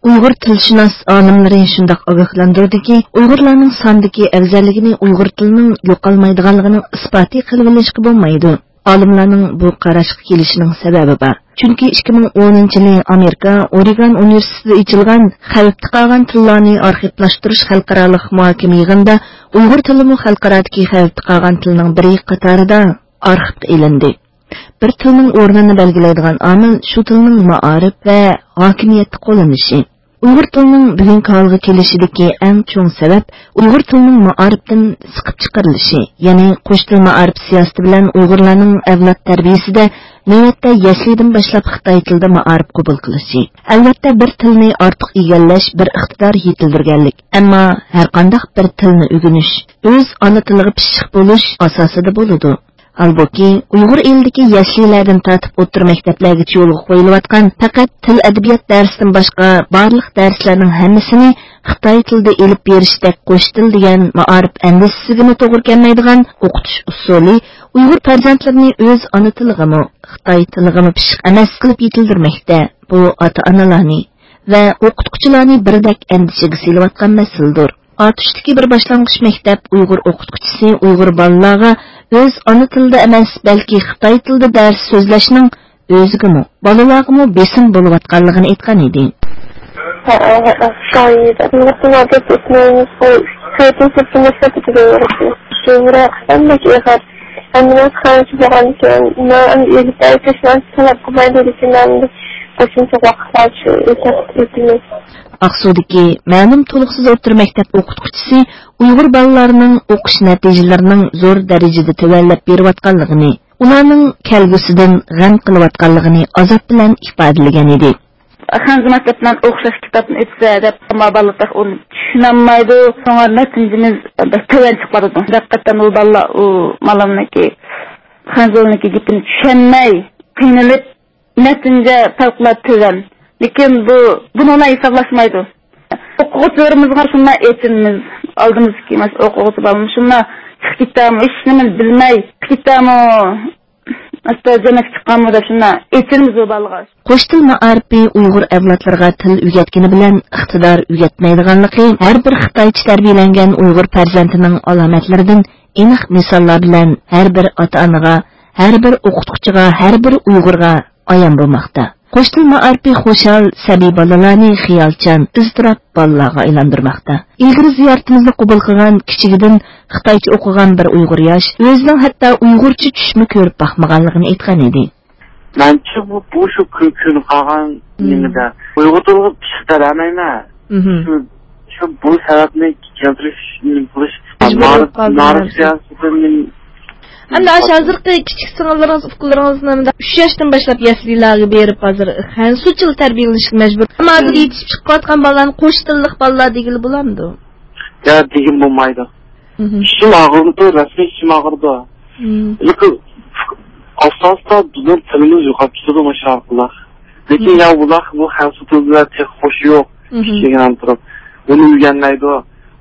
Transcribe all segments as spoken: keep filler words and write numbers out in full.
ئۇيغۇر تىلشۇناس ئالىملىرى شۇنداق ئاگاھلاندۇردىكى، ئۇيغۇرلارنىڭ ساندىكى ئەۋزەللىكىنى ئۇيغۇر تىلىنىڭ يوقالمايدىغانلىقىنىڭ ئىسپاتى قىلىۋېلىشقا بولمايدۇ. ئالىملارنىڭ بۇ قاراشقا كېلىشىنىڭ سەۋەبى بار. چۈنكى ئىككى مىڭ ئونىنچى يىلى ئامېرىكا ئورېگون ئۇنىۋېرسىتېتىدا ئېچىلغان خەۋپتە قالغان تىللارنى ئارخىپلاشتۇرۇش خەلقئارالىق مۇھاكىمە يىغىنىدا ئۇيغۇر تىلىمۇ خەلقئارادىكى خەۋپتە قالغان تىلنىڭ بىرى قاتارىدا ئارخىپقا ئېلىندى. بىر تىلنىڭ ئورنىنى بەلگىلەيدىغان ئامىل شۇ تىلنىڭ مائارىپ ۋە ھاكىمىيەتتە قوللىنىشى. ئۇيغۇر تىلىنىڭ بۈگۈنكى ھالغا كېلىشىدىكى ئەڭ چوڭ سەۋەب ئۇيغۇر تىلىنىڭ مائارىپتىن سىقىپ چىقىرىلىشى، يەنى قوش تىل مائارىپ سىياسىتى بىلەن ئۇيغۇرلارنىڭ ئەۋلاد تەربىيىسىدە نۆۋەتتە يەسلىدىن باشلاپ خىتاي تىلىدا مائارىپ قوبۇل قىلىشى. ئەلۋەتتە، بىر تىلنى ئارتۇق ئىگىلەش بىر ئىقتىدار يېتىلدۈرگەنلىك، ئەمما ھەرقانداق بىر تىلنى ئۆگىنىش ئۆز ئانا تىلىغا پىششىق بولۇش ئاساسىدا بولىدۇ. ھالبۇكى، ئۇيغۇر ئېلىدىكى يەسلىلەردىن تارتىپ ئوتتۇرا مەكتەپلەرگىچە يولغا قويۇلۇۋاتقان پەقەت تىل-ئەدەبىيات دەرسىدىن باشقا بارلىق دەرسلەرنىڭ ھەممىسىنى خىتاي تىلىدا ئېلىپ بېرىشتەك قوش تىل دېگەن مائارىپ ئەندىزىسىگىمۇ توغرا كەلمەيدىغان ئوقۇتۇش ئۇسۇلى ئۇيغۇر پەرزەنتلىرىنى ئۆز ئانا تىلىغىمۇ، خىتاي تىلىغىمۇ پىششىق ئەمەس قىلىپ يېتىلدۈرمەكتە. بۇ ئاتا-ئانىلارنى ۋە ئوقۇتقۇچىلارنى بىردەك ئەندىشىگە سېلىۋاتقان مەسىلىدۇر. ئاتۇشتىكى بىر باشلانغۇچ مەكتەپ ئۇيغۇر ئوقۇتقۇچىسى ئۇيغۇر بالىلارغا ئۆز ئانا تىلىدا ئەمەس، بەلكى خىتاي تىلىدا دەرس سۆزلەشنىڭ ئۆزىگىمۇ، بالىلارغىمۇ بېسىم بولۇۋاتقانلىقىنى ئېيتقان ئىدى. ھە، ھە، ھە، شۇڭا ئىدى. ئۇيغۇر تىلىدا دەرس ئۆتمەيمىز، بۇ تۆتىنچى سىنىپتىن باشلاپ كېتىۋېرىدۇ. شۇ بىراق ئەمدى ئېغىر. ھەممە نەرسە خەنزۇچە بولغاندىكىن، مانا ئەمدى ئېلىپ بەرسە شۇلار تەلەپ قىلمايدۇ، لېكىن ئەمدى قوشۇمچە ۋاقىتلار شۇ ئۆتۈپ كېتىمىز. ئاقسۇدىكى مەلۇم تولۇقسىز ئوتتۇرا مەكتەپ ئوقۇتقۇچىسى ئۇيغۇر بالىلارنىڭ ئوقۇش نەتىجىلىرىنىڭ زور دەرىجىدە تۆۋەنلەپ بېرىۋاتقانلىقىنى، ئۇلارنىڭ كەلگۈسىدىن غەم قىلىۋاتقانلىقىنى ئازاب بىلەن ئىپادىلىگەن ئىدى. خەنزۇ مەكتەپ بىلەن ئوخشاش كىتابنى ئۆتسە دەپ، ئەمما بالىلار تېخى ئۇنى چۈشىنەلمەيدۇ. شۇڭا نەتىجىمىز بەك تۆۋەن چىقىۋاتىدۇ. ھەقىقەتەن ئۇ بالىلار ئۇ مالامنىڭكى، خەنزۇنىڭكى گېپىنى چۈشەنمەي، قىينىلىپ، نەتىجە پەۋقۇلئاددە تۆۋەن. لېكىن بۇ، بۇنى ئۇلار ھېسابلاشمايدۇ. ئوقۇغۇچىلىرىمىزغا شۇنداق ئېچىنىمىز. ئالدىمىزدىكى مانا شۇ ئوقۇغۇچى بالىمىز شۇنداق چىقىپ كېتەمۇ، ھېچنېمىنى بىلمەي چىقىپ كېتەمۇ، ئاستا جەننەتكە چىققانمۇ دەپ شۇنداق ئېچىنىمىز بۇ بالىغا. قوش تىل مائارىپى ئۇيغۇر ئەۋلادلىرىغا تىل ئۆگەتكىنى بىلەن ئىقتىدار ئۆگەتمەيدىغانلىقى ھەر بىر خىتايچە تەربىيەلەنگەن ئۇيغۇر پەرزەنتىنىڭ ئالامەتلىرىدىن ئېنىق مىساللار بىلەن ھەر بىر ئاتا-ئانىغا، ھەر بىر ئوقۇتقۇچىغا، ھەر بىر ئۇيغۇرغا ئايان بولماقتا. قوش تىل مائارىپى خۇشال، سەبىي بالىلارنى خىيالچان، ئىزتىراپ بالىلارغا ئايلاندۇرماقتا. ئىلگىرى زىيارىتىمىزنى قوبۇل قىلغان كىچىكىدىن خىتايچە ئوقۇغان بىر ئۇيغۇر ياش ئۆزىنىڭ ھەتتا ئۇيغۇرچە چۈشمۇ كۆرۈپ باقمىغانلىقىنى ئېيتقان ئىدى. مەنچە بۇ، بۇ شۇ كۆ-، كۆنۈپ قالغان مم. نېمىدە. ئۇيغۇر تىلىغا پىششىق تەلەمەيمەن. مهم. شۇ، شۇ بۇ سەۋەبنى كەلتۈرۈش، نېمە قىلىش، مەجبۇر بولۇپ قالدىم مەن. سىياسىتىنى ئەمدى ئاشۇ ھازىرقى كىچىك سىڭىللىرىڭىز، ئۇكىلىرىڭىزنى مۇنداق ئۈچ ياشتىن باشلاپ يەسلىلەرگە بېرىپ، ھازىر خەنزۇچىل تەربىيەلىنىشكە مەجبۇر. ئەمما ھازىر مم. يېتىشىپ چىقىۋاتقان بالىلارنى قوش تىللىق بالىلار دېگىلى بولامدۇ؟ يا، دېگىلى بولمايدۇ. مهم. ئىچىم ئاغرىدۇ، رەسمىي ئىچىم ئاغرىدۇ. مم. لېكىن ئاستا-ئاستا بىزنىڭ تىلىمىز يوقاپ كېتىدۇ مۇشۇ ئارقىلىق. لېكىن مم. يا، ئۇلار بۇ خەنزۇ تىلى بىلەن تېخى خوشى يوق. مهم. كىچىكىدىن تۇرۇپ. ئۇنى ئۆگەنمەيدۇ.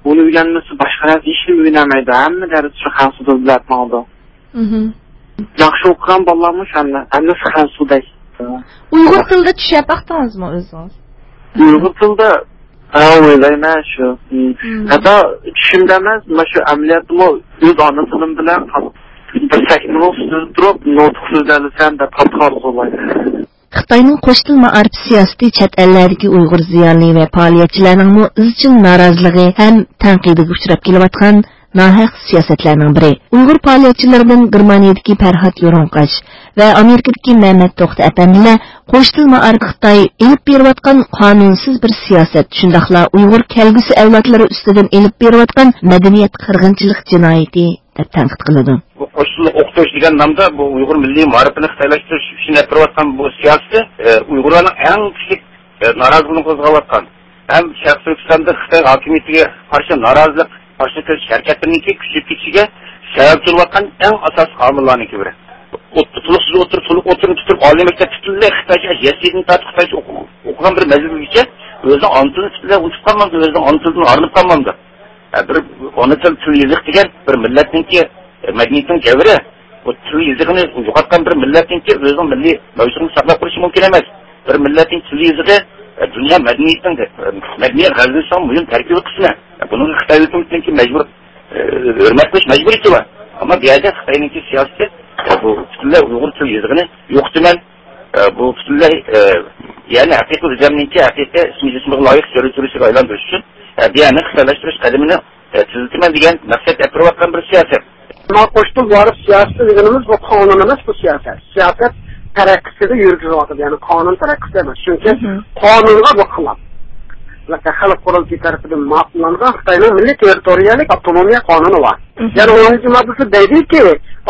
ئۇنى ئۆگەنمىسە باشقا نەرسە ھېچنېمە ئۆگەنەلمەيدۇ. ھەممە دەرس شۇ خەنزۇ تىلى بىلەن ماڭىدۇ. مهم. ياخشى ئوقۇغان بالىلارمۇ شۇ ھەممە، ھەممىسى خەنزۇدەك. ئۇيغۇر تىلىدا چۈشەپ باقتىڭىزمۇ ئۆزىڭىز؟ ئۇيغۇر تىلىدا، ھە، ئويلايمەن شۇ. مم. مم. ھەتتا چۈشۈمدە ئەمەس، مانا شۇ ئەمەلىيەتتىمۇ ئۆز ئانا تىلىم بىلەن قال-، بىر سەھنىنىڭ ئۈستىدە تۇرۇپ، نۇتۇق سۆزلەۋالسام دەپ قاتتىق ئارزۇلايمەن. خىتاينىڭ قوش تىل مائارىپ سىياسىتى چەت ئەللەردىكى ئۇيغۇر زىيالىي ۋە پائالىيەتچىلەرنىڭمۇ ئىزچىل نارازىلىقى ھەم تەنقىدىگە ئۇچراپ كېلىۋاتقان ناھەق سىياسەتلەرنىڭ بىرى. ئۇيغۇر پائالىيەتچىلىرىدىن گېرمانىيەدىكى پەرھات يورۇڭقاش ۋە ئامېرىكىدىكى مەمەت توختى ئەپەندىلەر قوش تىل مائارىپى خىتاي ئېلىپ بېرىۋاتقان قانۇنسىز بىر سىياسەت، شۇنداقلا ئۇيغۇر كەلگۈسى ئەۋلادلىرى ئۈستىدىن ئېلىپ بېرىۋاتقان مەدەنىيەت قىرغىنچىلىق جىنايىتى دەپ تەنقىد قىلىدۇ. بۇ قوش تىللىق ئوقۇتۇش دېگەن نامدا بۇ ئۇيغۇر مىللىي مائارىپىنى خىتايلاشتۇرۇش ئۈچۈن ئېلىپ بېرىۋاتقان بۇ سىياسىتى، ئە، ئۇيغۇرلارنىڭ ئەڭ كۈچلۈك، ئە، نارازىلىقىنى قوزغاۋاتقان ھەم شەرقىي تۈركىستاندا خىتاي ھاكىمىيىتىگە قارشى نارازىلىق، قارشى تۇرۇش ھەرىكەتلىرىنىڭكى كۈچىيىپ كېتىشىگە سەۋەبچى بولۇۋاتقان ئەڭ ئاساسلىق ئامىللارنىڭكى بىرى. ئوت-، تولۇقسىز ئوتتۇرا، تولۇق ئوتتۇرىنى پۈتتۈرۈپ، ئالىي مەكتەپ پۈتۈنلەي خىتايچە، يەسلىدىن تارتىپ خىتايچە ئوقۇ-، ئوقۇغان بىر مەزگىلگىچە ئۆزىنىڭ ئانا تىلىنى پۈتۈنلەي ئۇنتۇپ قالمامدۇ، ئۆزىنىڭ ئانا تىلىدىن ئايرىلىپ قالمامدۇ؟ ھە، بىر ئانا تىل، تىل، يېزىق دېگەن بىر مىللەتنىڭكى، ئە، مەدەنىيىتىنىڭ جەۋھىرى. بۇ تىل، يېزىقىنى يوقاتقان بىر مىللەتنىڭكى ئۆزىنىڭ مىللىي مەۋجۇتلۇقىنى ساقلاپ قېلىشى مۇمكىن ئەمەس. بىر مىللەتنىڭ تىل، يېزىقى، دۇنيا مەدەنىيىتىنىڭ، مەدەنىيەت غەزىلىنىڭ مۇھىم تەركىبىي قىسمى. بۇنىڭغا خىتاي ھۆكۈمىتىنىڭكى مەجبۇر، ئە، ھۆرمەت قىلىش مەجبۇرىيىتى بار. ئەمما بۇ يەردە خىتاينىڭكى سىياسىتى، ئە، بۇ پۈتۈنلەي ئۇيغۇر تىل يېزىقىنى يوقىتىمەن، ئە، بۇ پۈتۈنلەي، ئە، يەنى ھەقىقىي ئۆزەمنىڭكى ھەقىقىي ئىسمى جىسمىغا لايىق سۆزلىتىۋېلىشىگە ئايلاندۇرۇش ئۈچۈن، ئە، بۇ يەرنى خىتايلاشتۇرۇش قەدىمىنى، ئە، تېزلىتىمەن دېگەن مەقسەت ئەپىرىۋاتقان بىر سىياسەت. مانا قوشتۇل ۋارىس سىياسىتى دېگىنىمىز بۇ قانۇن ئەمەس، بۇ سىياسەت. سىياسەت تەرەققىسىدە يۈرگۈزۈۋاتىدۇ، يەنى قانۇن تەرەققىسىدە ئەمەس. چۈنكى مھم. قانۇنغا بۇ خىلاپ. خەلق قۇرۇلتىيى تەرىپىدىن ماقۇللانغان خىتاينىڭ مىللىي تېررىتورىيەلىك ئاپتونومىيە قانۇنى بار. مھم. يەنى ئونىنچى ماددىسى دەيدىكى،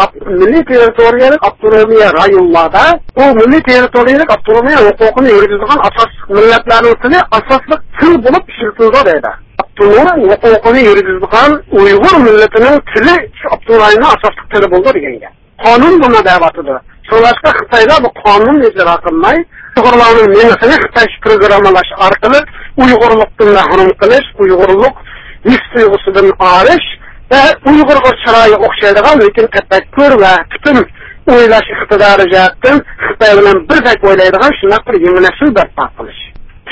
ئاپ-، مىللىي تېررىتورىيەلىك ئاپتونومىيە رايونلاردا بۇ مىللىي تېررىتورىيەلىك ئاپتونومىيە ھوقۇقىنى يۈرگۈزىدىغان ئاساسلىق مىللەتلەرنىڭ تىلى ئاساسلىق تىل بولۇپ ئىشلىتىلىدۇ دەيدۇ. ئاپتونوم ھوقۇقىنى يۈرگۈزىدىغان ئۇيغۇر مىللىتىنىڭ تىلى شۇ ئاپتونوم رايوننىڭ ئاساسلىق تىلى بولىدۇ دېگەن گەپ. قانۇن بۇنى دەۋاتىدۇ. شۇڭلاشقا خىتايلار بۇ قانۇننى ئىجرا قىلماي، ئۇيغۇرلارنىڭ مېڭىسىنى خىتايچە پروگراممىلاش ئارقىلىق ئۇيغۇرلۇقتىن مەھرۇم قىلىش، ئۇيغۇرلۇق ھېس تۇيغۇسىدىن ئارىش ۋە ئۇيغۇرغا چىرايى ئوخشايدىغان، لېكىن تەپەككۇر ۋە پۈتۈن ئويلاش ئىقتىدارى جەھەتتىن خىتاي بىلەن بىردەك ئويلايدىغان شۇنداق بىر يېڭى نەسىل بەرپا قىلىش.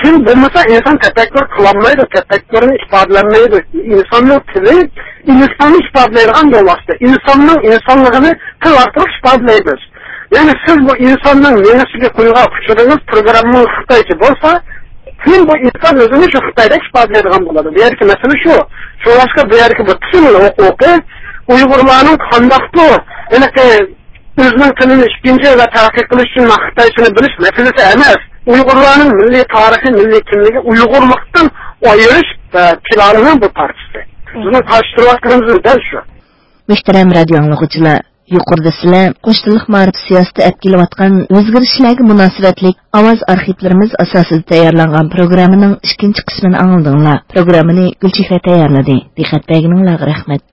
تىل بولمىسا، ئىنسان تەپەككۇر قىلالمايدۇ، تەپەككۇرىنى ئىپادىلەلمەيدۇ. ئىنساننىڭ تىلى ئىنساننى ئىپادىلەيدىغان بىر ۋاسىتە. ئىنساننىڭ ئىنسانلىقىنى تىل ئارقىلىق ئىپادىلەيمىز. يەنى سىز بۇ ئىنساننىڭ مېڭىسىگە قويغان ئۇچۇرىڭىز پروگراممىڭىز خىتايچە بولسا، كېيىن بۇ ئىنسان ئۆزىنى شۇ خىتايدەك ئىپادىلەيدىغان بولىدۇ. بۇ يەردىكى مەسىلە شۇ. شۇڭلاشقا بۇ يەردىكى بۇ تىل ھوقۇقى ئۇيغۇرلارنىڭ قانداقتۇر ھېلىقى ئۆزىنىڭ تىلىنى ئىككىنچى ئەللەر تەرەققىي قىلىش ئۈچۈن خىتايچىنى بىلىش مەسىلىسى ئەمەس. ئۇيغۇرلارنىڭ مىللىي تارىخى، مىللىي كىملىكى ئۇيغۇرلۇقتىن ئايرىش، ئە، پىلانىنىڭ بىر پارچىسى. بىزنىڭ قارشى تۇرۇۋاتقىنىمىز دەل شۇ. مۆھتەرەم رادىئو ئاڭلىغۇچىلار، يۇقىرىدا سىلەر قوش تىللىق مائارىپ سىياسىتى ئەپ كېلىۋاتقان ئۆزگىرىشلەرگە مۇناسىۋەتلىك ئاۋاز ئارخىپلىرىمىز ئاساسىدا تەييارلانغان پروگراممىنىڭ ئىككىنچى قىسمىنى ئاڭلىدىڭلار. پروگراممىنى گۈلچېھرە تەييارلىدى. دىققەت بەرگىنىڭلارغا رەھمەت.